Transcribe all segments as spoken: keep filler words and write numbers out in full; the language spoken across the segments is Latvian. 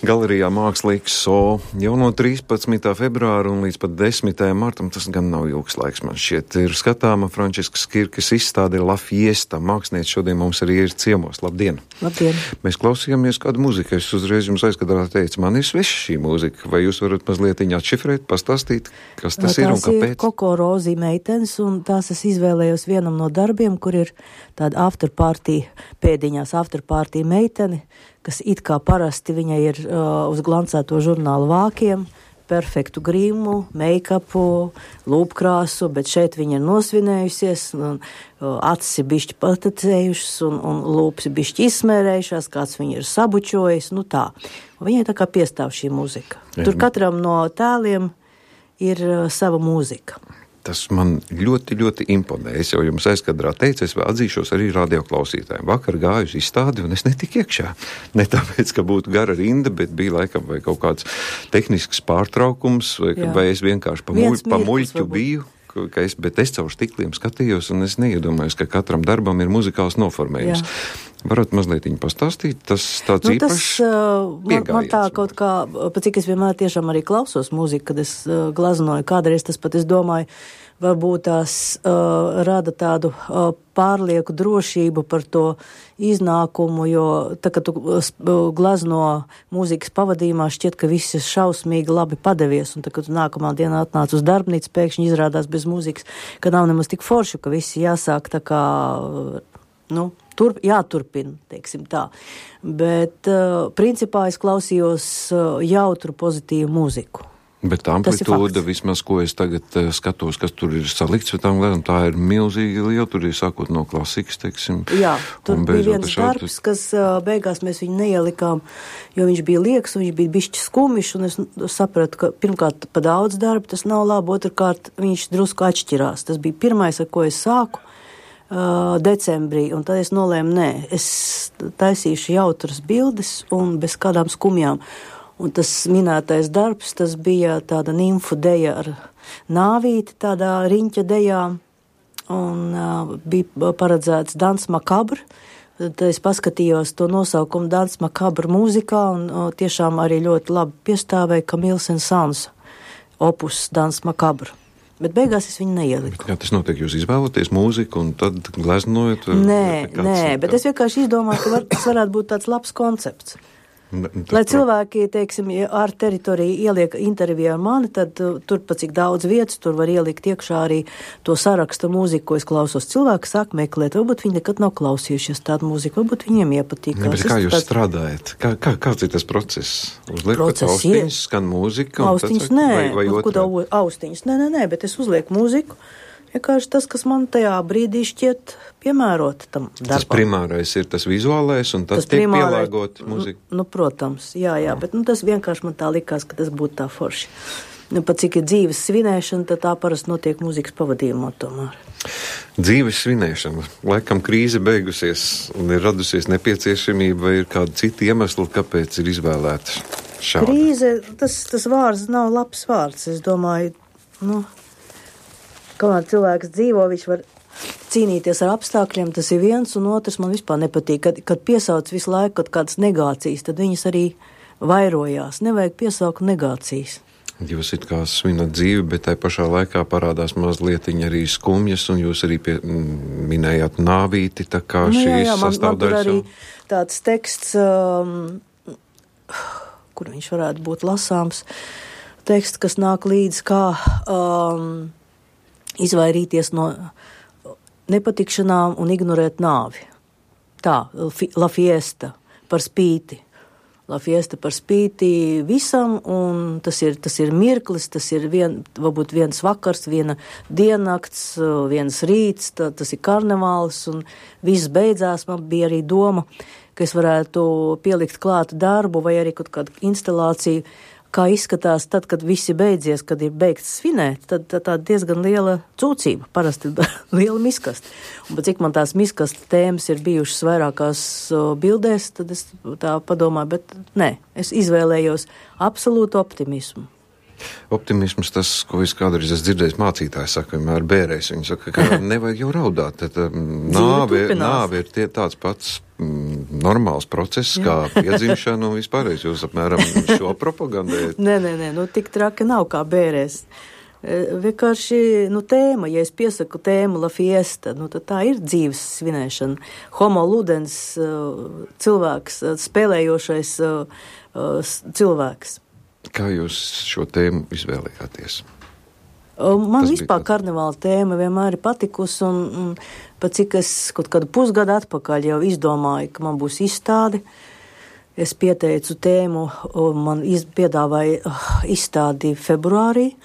Galerijā Mākslīgs So jau no trīspadsmitā februāra un līdz pat desmitajam martam, tas gan nav ilgs laiks, man šķiet, ir skatāma Frančiskas Kirkes izstāde La Fiesta. Mākslinieci šodien mums arī ir ciemos. Labdien! Labdien! Mēs klausījāmies kādu mūziku. Es uzreiz jums aizkadrā teicu, man ir sveša šī mūzika. Vai jūs varat mazliet atšifrēt, pastāstīt, kas tas tā ir un kāpēc? Tās ir Koko Rozī meitenes, un tās es izvēlējos vienam no darbiem, kur ir tāda afterparty, pēdiņās afterparty meitene, kas it kā parasti viņai ir uh, uz glancēto žurnālu vākiem, perfektu grīmu, make-upu, lūpkrāsu, bet šeit viņa ir nosvinējusies, un uh, acis ir bišķi patecējušas, un, un lūpas ir bišķi izsmērējušās, kāds viņa ir sabučojis, nu tā. Un viņai tā kā piestāv šī mūzika. Jā. Tur katram no tēliem ir uh, sava mūzika. Tas man ļoti, ļoti imponē. Es jau jums aizkadrā teicu, es atzīšos arī radioklausītājiem. Vakar gāju uz izstādi un es netiku iekšā. Ne tāpēc, ka būtu gara rinda, bet bija laikam vai kaut kāds tehnisks pārtraukums, vai, vai es vienkārši pa, muļ, pa muļķu biju. Ka es, bet es caur stikliem skatījos un es neiedomājos, ka katram darbam ir muzikāls noformējums. Jā. Varat mazliet viņu pastāstīt? Tas tāds nu, īpašs tas, uh, man, man tā kaut kā, pa cik es vienmēr tiešām arī klausos mūziku, kad es uh, glaznoju, kādreiz tas pat es domāju, varbūt tās uh, rada tādu uh, pārlieku drošību par to iznākumu, jo tā, kad tu uh, glazno mūzikas pavadījumā, šķiet, ka viss ir šausmīgi labi padevies, un tā, kad tu nākamā dienā atnāc uz darbnīcu, pēkšņi izrādās bez mūzikas, ka nav nemaz tik forši, ka visi jāsāk tā kā, nu, turp, jāturpina, teiksim tā. Bet, uh, principā es klausījos uh, jautru pozitīvu mūziku. Bet tā amplitūda, vismaz, ko es tagad uh, skatos, kas tur ir salikts, tām lietām, tā ir milzīgi liela, tur ir sākot no klasikas, teiksim. Jā, tur bija viens šādi... darbs, kas uh, beigās mēs viņu neielikām, jo viņš bija lieks, un viņš bija bišķi skumišs, un es sapratu, ka pirmkārt pa daudz darba tas nav labi, otrkārt viņš drusku atšķirās. Tas bija pirmais, ar ko es sāku uh, decembrī, un tad es nolēmu, nē, es taisīšu jautras bildes un bez kādām skumjām. Un tas minētais darbs, tas bija tāda nimfu deja ar nāvīti, tādā riņķa dejā, un uh, bija paredzēts Dans Macabre. Tad es paskatījos to nosaukumu Dans Macabre mūzikā, un uh, tiešām arī ļoti labi piestāvēja Camille Saint-Saëns opus Dans Macabre. Bet beigās es viņu neieliku. Kā tas notiek? Jūs izvēlaties mūziku un tad gleznojat? Nē, nē, bet es vienkārši izdomāju, ka var, tas varētu būt tāds labs koncepts. Lai cilvēki, teiksim, ar teritoriju ieliek interviju ar mani, tad uh, tur pa cik daudz vietas, tur var ielikt iekšā arī to saraksta mūziku, ko es klausos. Cilvēki sāk meklēt, varbūt viņi nekad nav klausījušies tādu mūziku, varbūt viņiem iepatīk. Ne, bet kā jūs tāds... strādājat? Kā, kā, kāds ir tas process? Uzliekat austiņas, skan mūzika? Austiņas, nē, vai, vai otrādi? Austiņas, nē, nē, nē, bet es uzlieku mūziku. Vienkārši tas, kas man tajā brīdī šķiet piemērot tam darbam. Tas primārais ir tas vizuālais, un tas, tas tiek pielāgot mūzika? Nu, protams, jā, jā, bet nu, tas vienkārši man tā likās, ka tas būtu tā forši. Nu, pat cik ir dzīves svinēšana, tad tā parasti notiek mūzikas pavadījumā tomēr. Dzīves svinēšana. Laikam krīze beigusies, un ir radusies nepieciešamība, vai ir kāda cita iemesla, kāpēc ir izvēlēta šāda? Krīze, tas, tas vārds nav labs vārds, es domāju, nu... Kamēr cilvēks dzīvo, viņš var cīnīties ar apstākļiem, tas ir viens, un otrs man vispār nepatīk. Kad, kad piesauc visu laiku kaut kādas negācijas, tad viņas arī vairojās. Nevajag piesaukt negācijas. Jūs it kā svinat dzīvi, bet tai pašā laikā parādās mazlietiņi arī skumjas, un jūs arī pie, minējāt nāvīti, tā kā nu, šīs jā, jā, man, man tur arī jau... tāds teksts, um, kur viņš varētu būt lasāms, teksts, kas nāk līdz kā... Um, izvairīties no nepatikšanām un ignorēt nāvi. Tā, La Fiesta par spīti. La Fiesta par spīti visam, un tas ir, tas ir mirklis, tas ir vien, varbūt viens vakars, viena diennakts, viens rīts, tā, tas ir karnevāls, un viss beidzās. Man bija arī doma, ka es varētu pielikt klāt darbu vai arī kaut kādu instalāciju, kā izskatās tad, kad visi beidzies, kad ir beigts svinēt, tad tā, tā diezgan liela cūcība, parasti liela miskasta. Un cik man tās miskasta tēmas ir bijušas vairākās uh, bildēs, tad es tā padomāju, bet nē, es izvēlējos absolūtu optimismu. Optimisms, tas, ko es kādreiz esmu dzirdējis mācītāji saka, vienmēr bērēs. Viņi saka, ka nevajag jau raudāt. Tad, um, nāve, nāve ir tie, tāds pats mm, normāls process, kā piedzimšana un vispārējais. Jūs apmēram šo propagandējat. Nē, nē, nē, nu tik traki nav kā bērēs. Vienkārši, nu, tēma, ja es piesaku tēmu La Fiesta, nu, tad tā ir dzīves svinēšana. Homo ludens, cilvēks, spēlējošais cilvēks. Kā jūs šo tēmu izvēlējāties? Man Tas vispār bija... karnevāla tēma vienmēr ir patikusi, un, un pat cik es kaut kādu pusgadu atpakaļ jau izdomāju, ka man būs izstāde. Es pieteicu tēmu, man iz, piedāvāja izstādi februārī.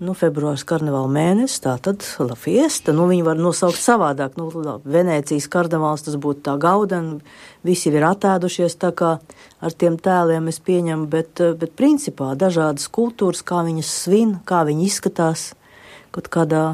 Nu, februārs karnevāla mēnesis, tā tad La Fiesta, nu, viņi var nosaukt savādāk, nu, Venēcijas karnevāls, tas būtu tā gauden, visi ir attēdušies, tā kā ar tiem tēliem es pieņemu, bet, bet principā dažādas kultūras, kā viņas svin, kā viņi izskatās, kaut kādā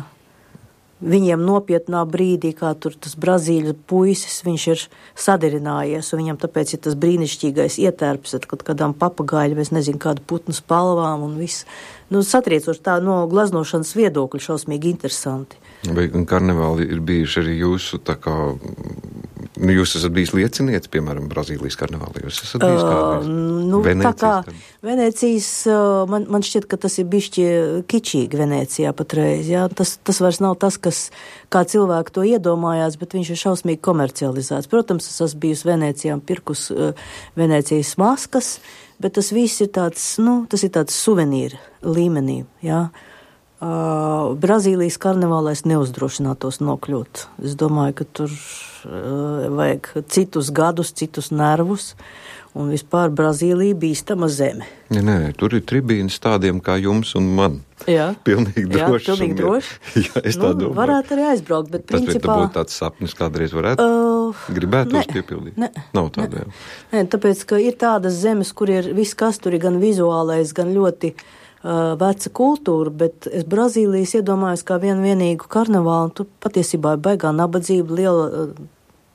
viņiem nopietnā brīdī, kā tur tas Brazīļu puisis, viņš ir sadarinājies, un viņam tāpēc ir tas brīnišķīgais ietērps ar kaut kādām papagaiļu, es nezinu, kādu putnu spalvām un viss. Nu, satriecoši tā no glaznošanas viedokļa šausmīgi interesanti. Vai karnevāli ir bijuši arī jūsu, tā kā, nu, jūs esat bijis liecinieci, piemēram, Brazīlijas karnevāli, jūs esat bijis kādreiz? Uh, nu, Venēcijas, tā kā Venēcijas, man, man šķiet, ka tas ir bišķi kičīgi Venēcijā patreiz, jā, tas, tas vairs nav tas, kas, kā cilvēki to iedomājās, bet viņš ir šausmīgi komercializēts. Protams, es esmu bijusi Venēcijā un pirkus uh, Venēcijas maskas, bet tas viss ir tāds, nu, tas ir tāds suvenīra līmenī, jā. Uh, Brazīlijas karnevālā es neuzdrošinātos nokļūt. Es domāju, ka tur uh, vajag citus gadus, citus nervus, un vispār Brazīlija bīstama zeme. Nē, nē, tur ir tribīnas tādiem kā jums un man. Jā, pilnīgi droši. Jā, pilnīgi droši. Jā, es tā nu, domāju. Varētu arī aizbraukt, bet Tas principā... Tas būtu tāds sapnis kādreiz varētu? Uh, Gribētu tos piepildīt? Ne, Nav tāda, ne, jā. Nē, tāpēc, ka ir tādas zemes, kur ir viss, kas tur ir gan vizuālais, gan ļoti uh, veca kultūra, bet es Brazīlijas iedomājos kā vienu vienīgu karnevālu, un tu patiesībā ir baigā nabadzība, liela uh,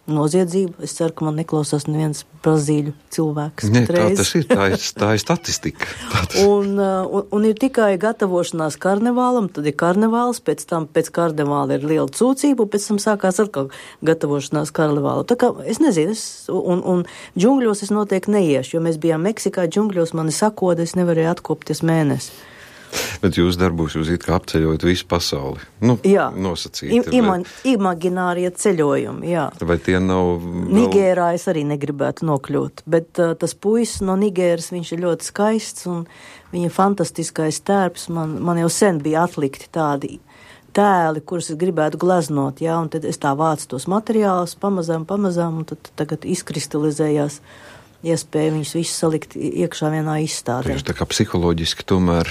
noziedzība. Es ceru, ka man neklausās neviens brazīļu cilvēks. Nē, tā tas ir, tā ir, tā ir statistika. Tā tas... un, uh, un, un ir tikai gatavošanās karnevālam, tad ir karnevāls, pēc tam pēc karnevāla ir liela cūcība, un pēc tam sākās atkal gatavošanās karnevālu. Tā kā, es nezinu, es, un, un džungļos es noteikti neiešu, jo mēs bijām Meksikā, džungļos mani sakoda, es nevarēju atkopties mēnesi. Bet jūs darbos, jūs it kā apceļojat visu pasauli. Nu, jā, nosacīti. Ima, imaginārie ceļojumi, jā. Vai tie nav... Nigērā es arī negribētu nokļūt, bet uh, tas puisis no Nigēras, viņš ir ļoti skaists, un viņa fantastiskais tērps, man, man jau sen bija atlikti tādi tēli, kurus es gribētu glaznot, jā, un tad es tā vācu tos materiālus pamazām, pamazām, un tad tagad izkristalizējās iespēja viņus visus salikt iekšā vienā izstādē. Jūs tā kā psiholoģiski tomēr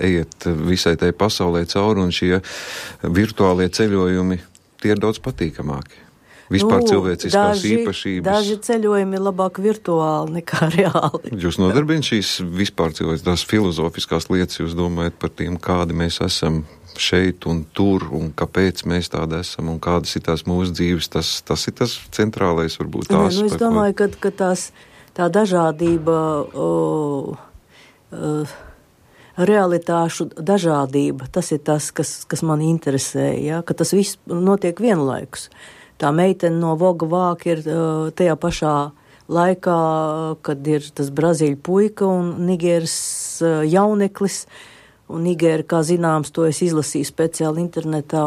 ejiet visai tai pasaulē cauri, un šie virtuālie ceļojumi, tie ir daudz patīkamāki. Vispār nu, cilvēciskās daži, īpašības. Daži ceļojumi ir labāk virtuāli nekā reāli. Jūs nodarbina šīs vispār cilvēciskās filozofiskās lietas, jūs domājat par tiem, kādi mēs esam šeit un tur, un kāpēc mēs tādi esam, un kādas ir tās mūsu dzīves, tas, tas ir tas centrālais, varbūt tās. Nu, es domāju, ka, ka tās, tā dažādība, o, o, realitāšu dažādība, tas ir tas, kas, kas man interesē, ja? Ka tas viss notiek vienlaikus. Tā meitene no Voga vāka ir uh, tajā pašā laikā, kad ir tas Brazīļu puika un Nigēras uh, jauneklis. Un Nigēra, kā zināms, to es izlasīju speciāli internetā.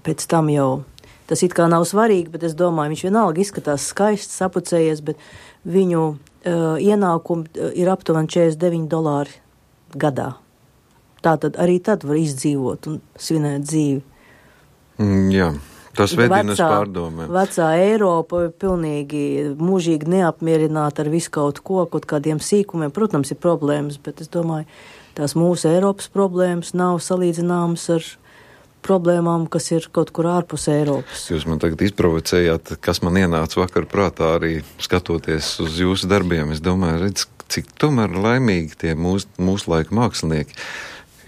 Pēc tam jau tas it kā nav svarīgi, bet es domāju, viņš vienalga izskatās skaists, sapucējies, bet viņu uh, ienākumi ir aptuveni četrdesmit deviņi dolāri gadā. Tātad arī tad var izdzīvot un svinēt dzīvi. Mm, jā. Tas vedina uz pārdomēm. Vecā Eiropa ir pilnīgi mūžīgi neapmierināta ar visu kaut ko, kaut kādiem sīkumiem. Protams, ir problēmas, bet es domāju, tās mūsu Eiropas problēmas nav salīdzināmas ar problēmām, kas ir kaut kur ārpus Eiropas. Jūs man tagad izprovocējāt, kas man ienāca vakar prātā arī skatoties uz jūsu darbiem. Es domāju, redz, cik tomēr laimīgi tie mūsu, mūsu laika mākslinieki.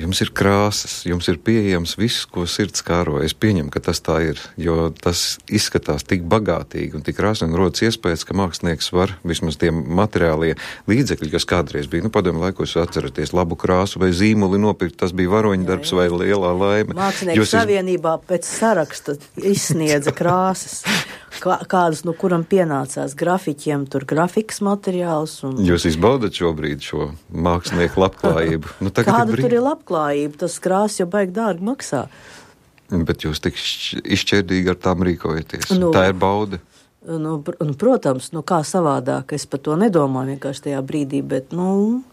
Jums ir krāsas, jums ir pieejams viss, ko sirds kāro. Es pieņemu, ka tas tā ir, jo tas izskatās tik bagātīgi un tik krāsaini, rodas iespējas, ka mākslinieks var vismaz tie materiālie līdzekļi, kas kādreiz bija, nu, padomju laikos atceraties labu krāsu vai zīmuli nopirkt, tas bija varoņdarbs vai lielā laime. Mākslinieku Jūs savienībā iz... pēc saraksta izsniedza krāsas. Kādus, no kuram pienācās grafiķiem, tur grafikas materiāls. Un... Jūs izbaudat šobrīd šo mākslinieku labklājību? Nu, Kāda ir brīd... tur ir labklājība? Tas krāsas jau baigi dārgi maksā. Bet jūs tik izšķērdīgi ar tām rīkojaties. Nu, tā ir bauda. Nu, nu, protams, nu kā savādāk. Es par to nedomāju vienkārši tajā brīdī, bet, nu...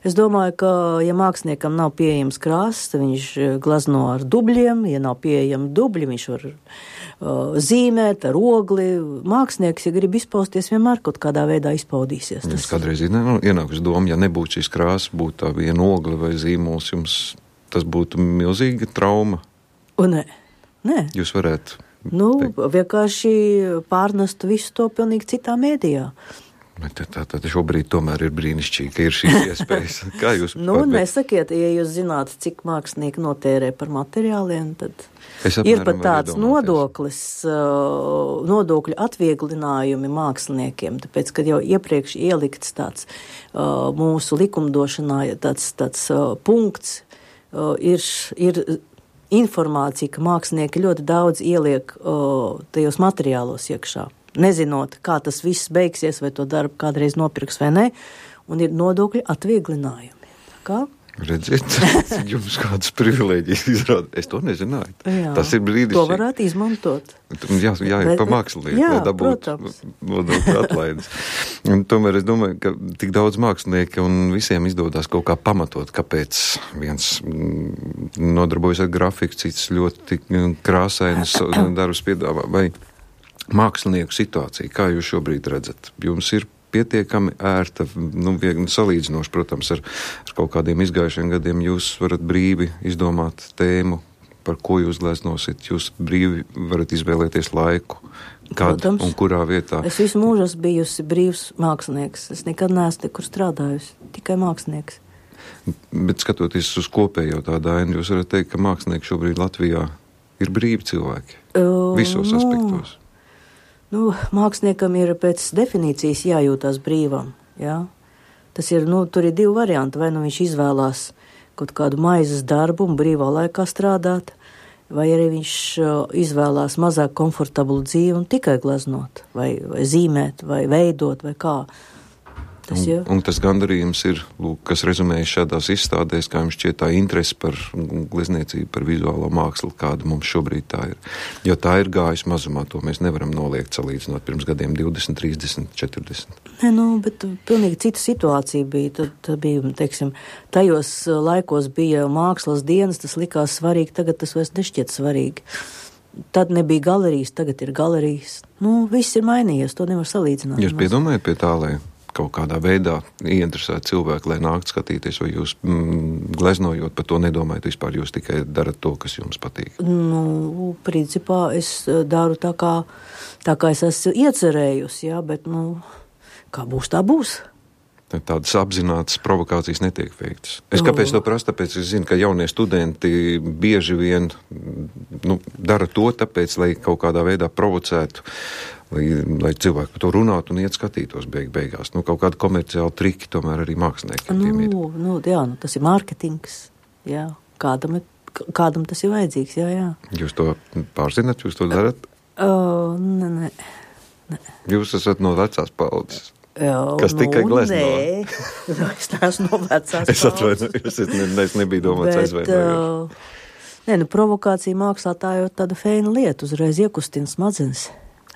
Es domāju, ka, ja māksliniekam nav pieejams krāsas, tad viņš glazno ar dubļiem, ja nav pieejami dubļi, viņš var uh, zīmēt ar ogli. Mākslinieks, ja grib izpausties, vienmēr kaut kādā veidā izpaudīsies. Tas... Es kādreiz nu, ienāku uz domu, ja nebūtu šīs krāsas, būtu tā viena ogli vai zīmols, jums tas būtu milzīga trauma? Un nē, nē. Jūs varētu... Nu, teikt. Vienkārši pārnest visu to pilnīgi citā mēdījā. Bet tā tad šobrīd tomēr ir brīnišķīgi, ka ir šīs iespējas. Kā jūs... nu, nesakiet, ja jūs zināt, cik mākslinieki notērē par materiāliem, tad ir pat tāds nodoklis, uh, nodokļu atvieglinājumi māksliniekiem, tāpēc, kad jau iepriekš ielikts tāds uh, mūsu likumdošanā, tāds, tāds uh, punkts, uh, ir, ir informācija, ka mākslinieki ļoti daudz ieliek uh, tajos materiālos iekšā. Nezinot, kā tas viss beigsies, vai to darbu kādreiz nopirks vai ne, un ir nodokļu atvieglinājumi. Kā? Redziet, jums kādas privilēģijas izrāda. Es to nezināju. Jā, tas ir brīdis. To varētu izmantot. Jā, jā ir pa mākslinieki, lai dabūtu nodokļu atlaides. Un tomēr es domāju, ka tik daudz mākslinieki un visiem izdodas kaut kā pamatot, kāpēc viens nodarbojas ar grafiku, cits ļoti krāsainas darbus piedāvā. Vai mākslinieku situācija, kā jūs šobrīd redzat? Jums ir pietiekami ērta, nu, viegli salīdzinoši, protams, ar, ar kaut kādiem izgājušiem gadiem. Jūs varat brīvi izdomāt tēmu, par ko jūs gleznosit. Jūs brīvi varat izvēlēties laiku, kad protams, un kurā vietā. Es visu mūžu esmu bijusi brīvs mākslinieks. Es nekad neesmu nekur strādājusi, tikai mākslinieks. Bet skatoties uz kopējo tādu ainu, jūs varat teikt, ka mākslinieki šobrīd Latvijā ir brīvi cilvēki. Uh, visos nu. aspektos. Nu, māksliniekam ir pēc definīcijas jājūtās brīvam, jā. Tas ir, nu, tur ir divi varianti, vai nu viņš izvēlās kaut kādu maizes darbu un brīvā laikā strādāt, vai arī viņš izvēlās mazāk komfortablu dzīvi un tikai gleznot, vai, vai zīmēt, vai veidot, vai kā. Tas un, un tas gandarījums ir, lūk, kas rezumējas šādās izstādēs, kā jums šķiet tā interese par glezniecību, par vizuālo mākslu, kāda mums šobrīd tā ir. Jo tā ir gājusi mazumā, to mēs nevaram noliegt salīdzinot pirms gadiem divdesmit, trīsdesmit, četrdesmit. Ne, nu, bet pilnīgi cita situācija bija. Tad, tad bija, teiksim, tajos laikos bija mākslas dienas, tas likās svarīgi, tagad tas vairs nešķiet svarīgi. Tad nebija galerijas, tagad ir galerijas. Nu, viss ir mainījies, to nevar salīdzināt. Jūs piedomājat pie tā, lai kaut kādā veidā ieinteresēt cilvēku, lai nākt skatīties, vai jūs mm, gleznojot par to nedomājat vispār, jūs tikai darat to, kas jums patīk? Nu, principā es daru tā kā, tā kā es esmu iecerējusi, jā, bet, nu, kā būs, tā būs. Tādas apzinātas provokācijas netiek veiktas. Es kāpēc to prasu, tāpēc es zinu, ka jaunie studenti bieži vien nu, dara to, tāpēc, lai kaut kādā veidā provocētu, lai, lai cilvēki par to runātu un iet skatītos beig, beigās. Nu, kaut kādi komerciāli triki tomēr arī māksliniekiem nu, tiem ir. Nu, jā, nu, tas ir mārketings, jā. Kādam, kādam tas ir vajadzīgs, jā, jā. Jūs to pārzināt, jūs to darat? Uh, ne, ne, ne. Jūs esat no vecās paudzes. Jā, kas nu, tikai glezno. Nē, es neesmu no vecās es atvainojos, es, ne, es nebiju domāts aizvainojos. Uh, nē, nu, provokācija mākslā tā jau tāda feina lieta, uzreiz iekustina smadzenes.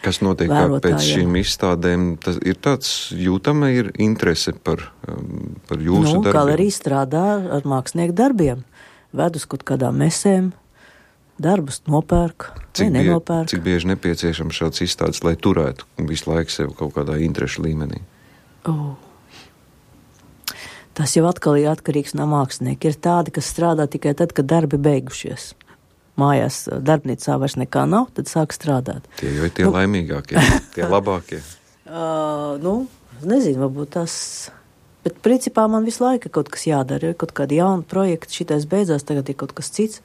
Kas notiek pēc šīm izstādēm? Tas ir tāds jūtama ir interese par, um, par jūsu nu, darbiem? Galerija strādā ar mākslinieku darbiem. Ved uz kaut kādām mesēm, darbus nopērk, cik vai nenopērk. Cik bieži nepieciešams šāds izstādes, lai turētu visu laiku sev kaut kādā interešu līmenī? Oh. Tas jau atkal ir atkarīgs no mākslinieka. Ir tādi, kas strādā tikai tad, kad darbi beigušies. Mājās darbnīcā vairs nekā nav, tad sāk strādāt. Tie jau ir tie nu, laimīgākie, tie labākie. Uh, nu, nezinu, varbūt tas Bet principā man visu laiku kaut kas jādara, ir kaut kādi jauni projekti, šitais beidzās, tagad ir kaut kas cits,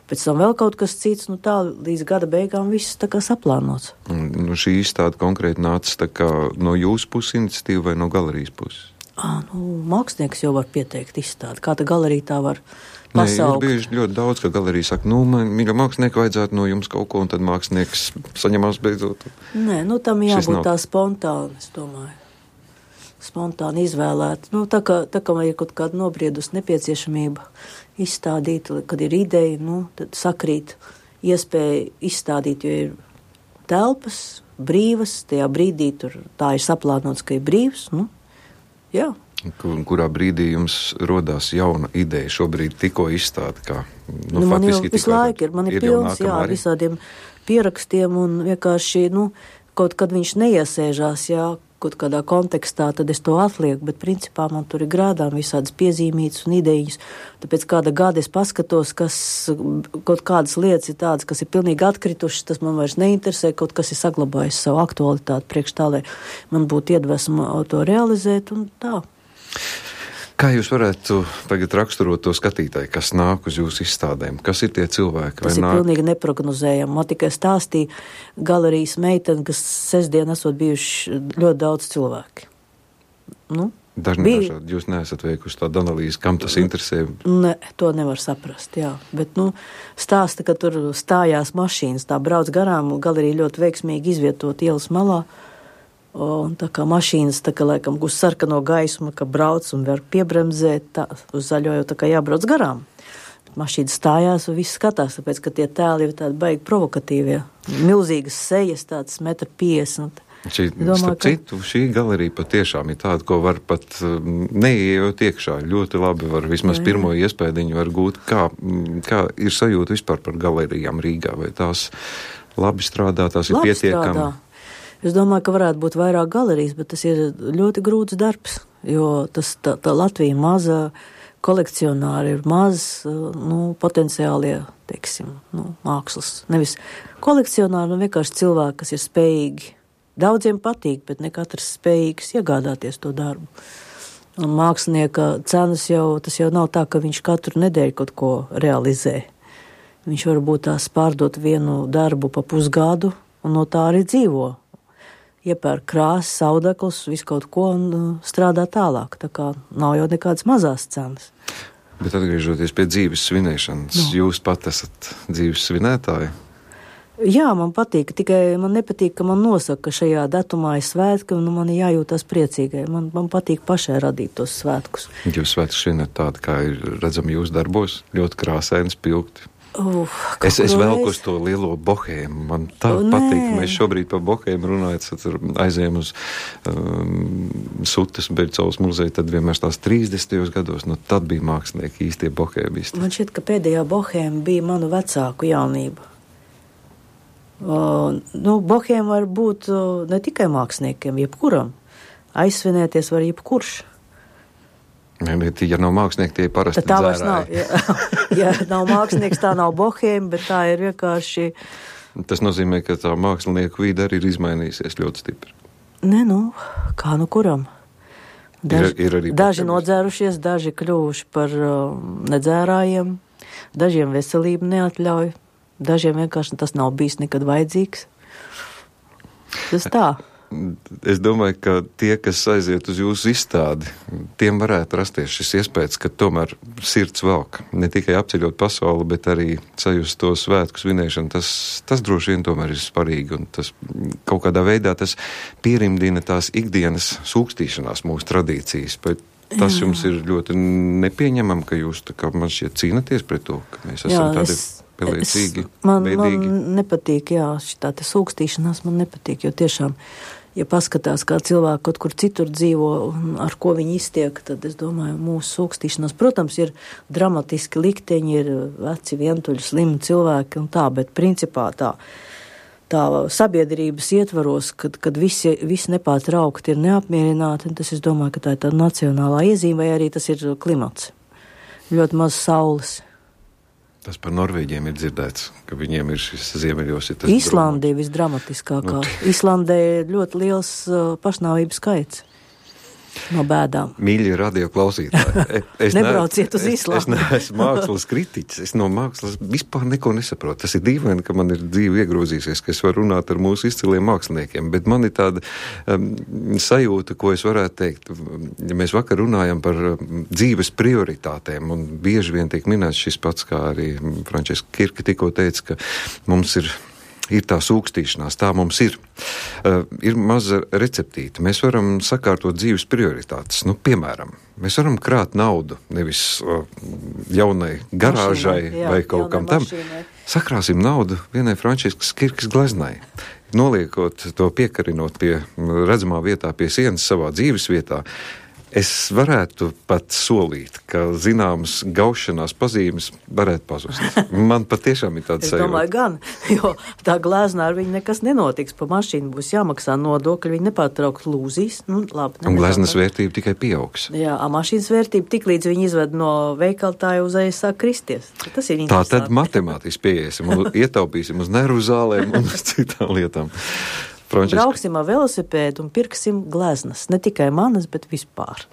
pēc tam vēl kaut kas cits, nu tā līdz gada beigām viss tā kā saplānots. Nu, šī izstāde konkrēti nāca tā kā no jūsu puses iniciatīva vai no galerijas puses? Ā, nu, mākslinieks jau var pieteikt izstādi, kā tā galerija tā var pasaukt. Nē, ir bieži ļoti daudz, ka galerija saka, nu, man, mīļa mākslinieka, vajadzētu no jums kaut ko, un tad mākslinieks saņemās beidzot. Nē, nu tam jābūt tā spontāni, es domāju. Spontāni izvēlēt. Nu, tā kā, tā kā ir kaut kāda nobriedus nepieciešamība izstādīt, kad ir ideja, nu, tad sakrīt iespēja izstādīt, jo ir telpas, brīvas, tajā brīdī tur tā ir saplānots, ka ir brīvs, nu, jā. Kur, kurā brīdī jums rodās jauna ideja, šobrīd tikko izstāde, kā, nu, nu man jau faktiski visu laiku ir, man ir, ir pilns, jā, arī visādiem pierakstiem un vienkārši, nu, kaut kad viņš neiesēžās, jā, kaut kādā kontekstā, tad es to atlieku, bet principā man tur ir grādām visādas piezīmītas un idejas. Tāpēc kāda gada es paskatos, kas kaut kādas lietas ir tādas, kas ir pilnīgi atkritušas, tas man vairs neinteresē, kaut kas ir saglabājis savu aktualitāti priekš tā, lai man būtu iedvesma to realizēt un tā. Kā jūs varētu tagad raksturot to skatītāju, kas nāk uz jūsu izstādēm? Kas ir tie cilvēki? Tas ir nāk... pilnīgi neprognozējami. Man tikai stāstīja galerijas meitene, kas sestdien esot bijuši ļoti daudz cilvēki. Nu, Dažni bija... dažādi. Jūs neesat veikuši tādu analīzi, kam tas interesē? Ne, to nevar saprast, jā. Bet, nu, stāsta, ka tur stājās mašīnas, tā brauc garām, galerija ļoti veiksmīgi izvietot ielas malā. Un tā kā mašīnas, tā kā laikam uz sarkano gaismu, ka brauc un var piebremzēt, tā, uz zaļo jau tā kā jābrauc garām. Bet mašīnas stājās un viss skatās, tāpēc, ka tie tēli ir tādi baigi provokatīvie. Milzīgas sejas, tāds metru piesdesmit. Šī, domāju, ka... citu, šī galerija patiešām ir tāda, ko var pat neieejot iekšā. Ļoti labi var vismaz jā, jā. pirmo iespēdiņu var gūt. Kā, kā ir sajūta vispār par galerijām Rīgā? Vai tās labi strādā, tās labi ir pietiekami? Strādā. Es domāju, ka varētu būt vairāk galerijas, bet tas ir ļoti grūts darbs, jo tas, tā, tā Latvija maza, kolekcionāri ir maz, nu, potenciālie, teiksim, nu, mākslas. Nevis kolekcionāri, nu, vienkārši cilvēki, kas ir spējīgi. Daudziem patīk, bet ne katrs spējīgs iegādāties to darbu. Un mākslinieka cenas jau, tas jau nav tā, ka viņš katru nedēļu kaut ko realizē. Viņš varbūt tās pārdot vienu darbu pa pusgadu, un no tā arī dzīvo. Iepērk krāsas, audekls, visu kaut ko un uh, strādā tālāk. Tā kā nav jau nekādas mazās cenas. Bet atgriežoties pie dzīves svinēšanas, no. Jūs pat esat dzīves svinētāji? Jā, man patīk, tikai man nepatīk, ka man nosaka, ka šajā datumā ir svētki un man ir jājūtās priecīgai. Man, man patīk pašai radīt tos svētkus. Jūs svētkus svinat tādi, kā ir redzami jūsu darbos, ļoti krāsaini, spilgti. Uh, es es velku uz to lielo bohēmu. Man tā Nē. patīk, ka mēs šobrīd par bohēmu runājot, aizējām uz um, Sutas Bercovas muzeju, tad vienmēr tās trīsdesmitajos gados, nu tad bija mākslinieki īstie bohēmisti. Man šķiet, ka pēdējā bohēma bija manu vecāku jaunība. Uh, nu, bohēma var būt uh, ne tikai māksliniekiem, jebkuram. Aizsvinēties var jebkurš. Ja nav mākslinieki, tie ir parasti tā dzērāji. Nav, ja, ja nav mākslinieks, tā nav bohēma, bet tā ir vienkārši... Tas nozīmē, ka tā mākslinieku vide arī ir izmainījusies ļoti stipri. Ne, nu, kā nu kuram. Daži, ir, ir arī daži nodzērušies, daži kļuvuši par uh, nedzērājiem, dažiem veselību neatļauj, dažiem vienkārši tas nav bijis nekad vajadzīgs. Tas tā. Es domāju, ka tie, kas aiziet uz jūsu izstādi, tiem varētu rasties šis iespējas, ka tomēr sirds velk. Ne tikai apceļot pasauli, bet arī sajust to svētku svinēšanu. Tas, tas droši vien tomēr ir svarīgi, un tas kaut kādā veidā tas pierimdina tās ikdienas sūkstīšanās mūsu tradīcijas. Bet tas jā. Jums ir ļoti nepieņemam, ka jūs tā kā man šķiet cīnaties pret to, ka mēs esam jā, tādi pelēcīgi, man, veidīgi. Man nepatīk, jā, šitā te sūkstīšanās man nepatīk, jo tiešām ja paskatās, kā cilvēki kaut kur citur dzīvo un ar ko viņi iztiek, tad es domāju, mūsu sūkstīšanās, protams, ir dramatiski likteņi, ir veci, vientuļi, slimi cilvēki un tā, bet principā tā, tā sabiedrības ietvaros, kad, kad visi, visi nepārtraukti ir neapmierināti, un tas, es domāju, ka tā ir tāda nacionālā iezīme, vai arī tas ir klimats. Ļoti maz saules. Tas par Norvēģiem ir dzirdēts, ka viņiem ir šis ziemeļos. Ir Īslandē visdramatiskākā. Nu, Īslandē ir ļoti liels uh, pašnāvības skaits. no bēdām. Mīļie radio klausītāji. Es Nebrauciet uz Islāmu. Es neesmu mākslas kritiķis. Es no mākslas vispār neko nesaprotu. Tas ir dīvaini, ka man ir dzīve iegrozīsies, ka es varu runāt ar mūsu izciliem māksliniekiem, bet man ir tāda um, sajūta, ko es varētu teikt. Ja mēs vakar runājam par um, dzīves prioritātēm, un bieži vien tiek minēts šis pats, kā arī Frančiska Kirke tikko teica, ka mums ir ir tā sūkstīšanās, tā mums ir. Uh, ir maza receptīte. Mēs varam sakārtot dzīves prioritātes. Nu, piemēram, mēs varam krāt naudu, nevis uh, jaunai garāžai mašīnai, jā, vai kaut kam tam. Mašīnai. Sakrāsim naudu vienai Frančiskas Kirkes gleznai. Noliekot to piekarinot pie redzamā vietā, pie sienas savā dzīves vietā. Es varētu pat solīt, ka zināmas gaušanās pazīmes varētu pazust. Man patiešām ir tāds sajūta. Es domāju gan, jo tā glāznā ar viņu nekas nenotiks. Pa mašīnu būs jāmaksā nodokļi, viņi nepārtraukt lūzīs. Nu, labi, un glāznas vērtība tikai pieaugs. Jā, mašīnas vērtība tik līdz viņi izved no veikaltāja uz aiz sāk kristies. Tas ir tā tad matemātiski pieiesim un ietaupīsim uz nervu zālēm un uz citām lietām. Frančiska. Brauksim ar velosipēdu un pirksim gleznas. Ne tikai manas, bet vispār.